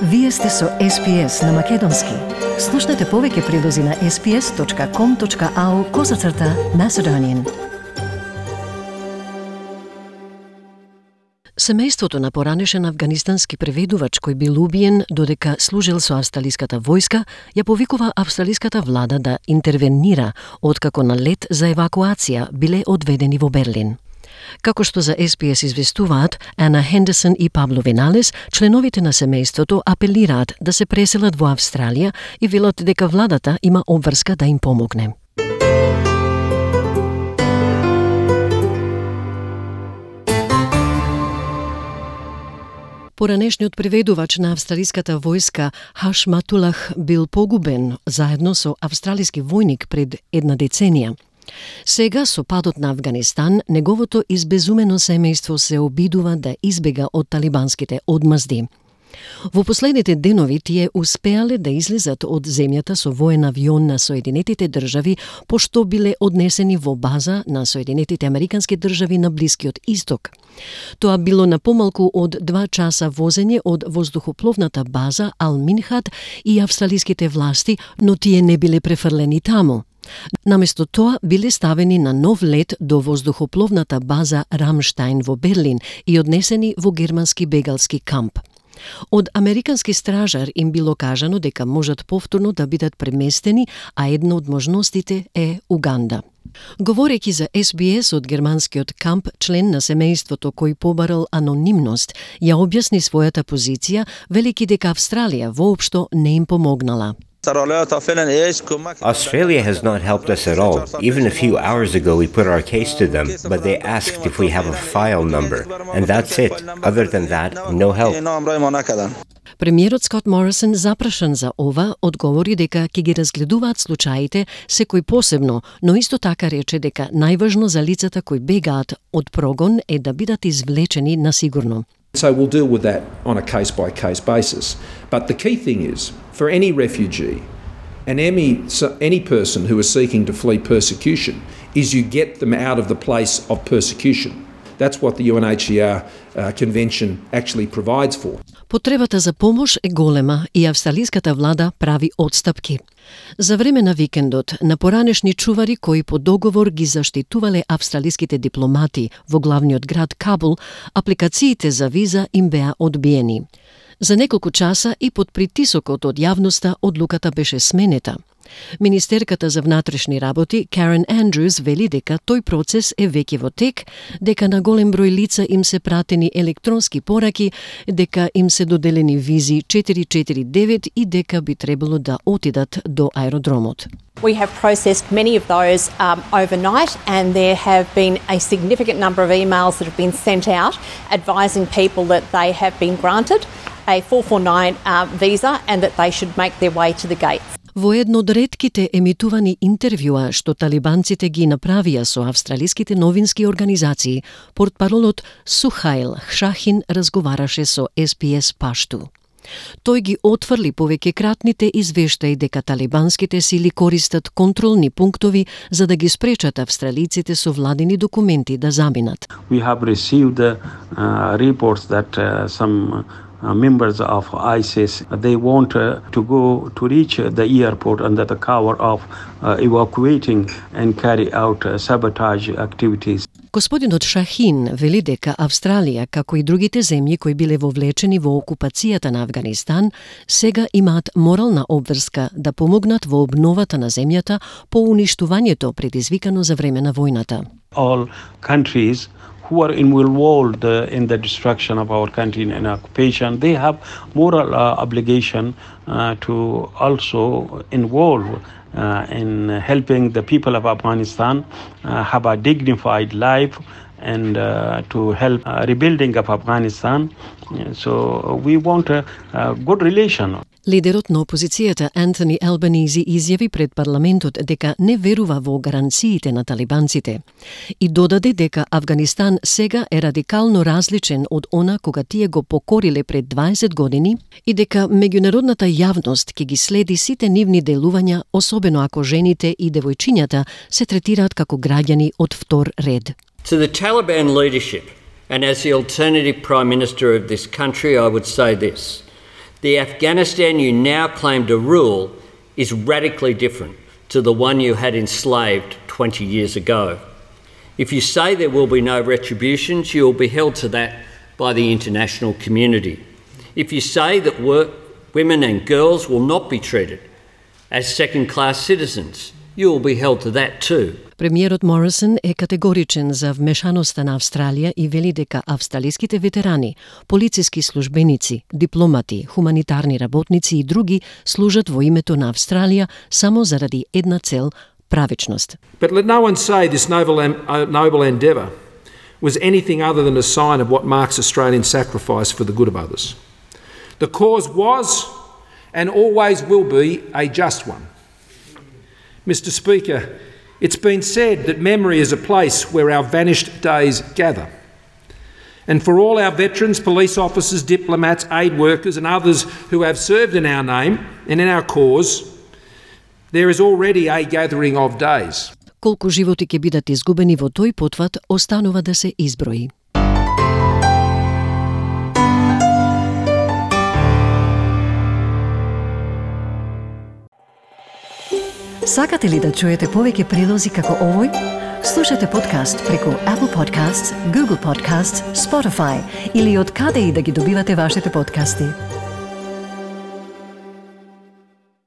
Вие сте со SPS на Македонски. Слушнете повеќе прилози на sps.com.au/Macedonian. Семејството на поранешен афганистански преведувач кој бил убиен додека служил со австралиската војска, ја повикува австралиската влада да интервенира откако на лет за евакуација биле одведени во Берлин. Како што за SPS известуваат, Ана Хендерсон и Пабло Виналес, членовите на семејството апелираат да се преселат во Австралија и велат дека владата има обврска да им помогне. Поранешниот преведувач на австралиската војска Хашматулах бил погубен заедно со австралиски војник пред една деценија. Сега, со падот на Авганистан, неговото избезумено семејство се обидува да избега од талибанските одмазди. Во последните денови тие успеале да излезат од земјата со воен авион на Соединетите држави, пошто биле однесени во база на Соединетите Американски држави на Блискиот Исток. Тоа било на помалку од 2 часа возење од воздухопловната база Ал-Минхат и австралиските власти, но тие не биле префрлени таму. Наместо тоа биле ставени на нов лет до воздухопловната база Рамштајн во Берлин и однесени во германски бегалски камп. Од американски стражар им било кажано дека можат повторно да бидат преместени, а една од можностите е Уганда. Говорејќи за SBS од германскиот камп, член на семејството кој побарал анонимност, ја објасни својата позиција, велики дека Австралија воопшто не им помогнала. Australia has not helped us at all. Even a few hours ago we put our case to them, but they asked if we have a file number. And that's it. Other than that, no help. Премиерот Скот Морисон, запрашан за ова, одговори дека ќе ги разгледуваат случаите секој посебно, но исто така рече дека најважно за лицата кои бегаат од прогон е да бидат извлечени на сигурно. So we'll deal with that on a case-by-case basis. But the key thing is, for any refugee and any person who is seeking to flee persecution, is you get them out of the place of persecution. That's what the UNHCR convention actually provides for. Потребата за помош е голема и австралиската влада прави отстапки. За време на викендот, на поранешни чувари кои по договор ги заштитувале австралиските дипломати во главниот град Кабул, апликациите за виза им беа одбиени. За неколку часа и под притисокот од јавноста одлуката беше сменета. Министерката за внатрешни работи Карен Андрюс вели дека тој процес е веќе во тек, дека на голем број лица им се пратени електронски пораки, дека им се доделени визи 449 и дека би требало да отидат до аеродромот. We have processed many of those overnight, and there have been a significant number of emails that have been sent out advising people that they have been granted a 449 visa and that they should make their way to the gates. Во едно од ретките емитувани интервјуа што талибанците ги направија со австралиските новински организации, портпаролот Сухаил Шахин разговараше со SPS Пашту. Тој ги отфрли повеќекратните извештаи дека талибанските сили користат контролни пунктови за да ги спречат австралиците со владини документи да заминат. We have received reports that some members of ISIS, they want to go to reach the airport under the cover of evacuating and carry out sabotage activities. Господинот Шахин вели дека Австралија, како и другите земји кои биле вовлечени во окупацијата на Авганистан, сега имаат морална обврска да помогнат во обновата на земјата по уништувањето предизвикано за време на војната. All countries who are involved in the destruction of our country and occupation, they have moral obligation to also involve in helping the people of Afghanistan have a dignified life and to help rebuilding of Afghanistan. So we want a good relation. Лидерот на опозицијата Антони Албанизи изјави пред парламентот дека не верува во гаранциите на талибанците и додаде дека Авганистан сега е радикално различен од она кога тие го покориле пред 20 години и дека меѓународната јавност ќе ги следи сите нивни делувања, особено ако жените и девојчињата се третираат како граѓани од втор ред. To the Taliban leadership and as the alternative Prime Minister of this country, I would say this. The Afghanistan you now claim to rule is radically different to the one you had enslaved 20 years ago. If you say there will be no retributions, you will be held to that by the international community. If you say that women and girls will not be treated as second-class citizens, you will be held to that too. Премиерот Морисон е категоричен за вмешаноста на Австралија и вели дека австралиските ветерани, полициски службеници, дипломати, хуманитарни работници и други служат во името на Австралија само заради една цел – правичност. But let no one say this noble endeavour was anything other than a sign of what marks Australian sacrifice for the good of others. The cause was and always will be a just one. Mr. Speaker, it's been said that memory is a place where our vanished days gather. And for all our veterans, police officers, diplomats, aid workers and others who have served in our name and in our cause, there is already a gathering of days. Колку животи ќе бидат изгубени во тој потват, останува да се изброи. Сакате ли да чуете повеќе прилози како овој? Слушате подкаст преку Apple Podcasts, Google Podcasts, Spotify или од каде и да ги добивате вашите подкасти.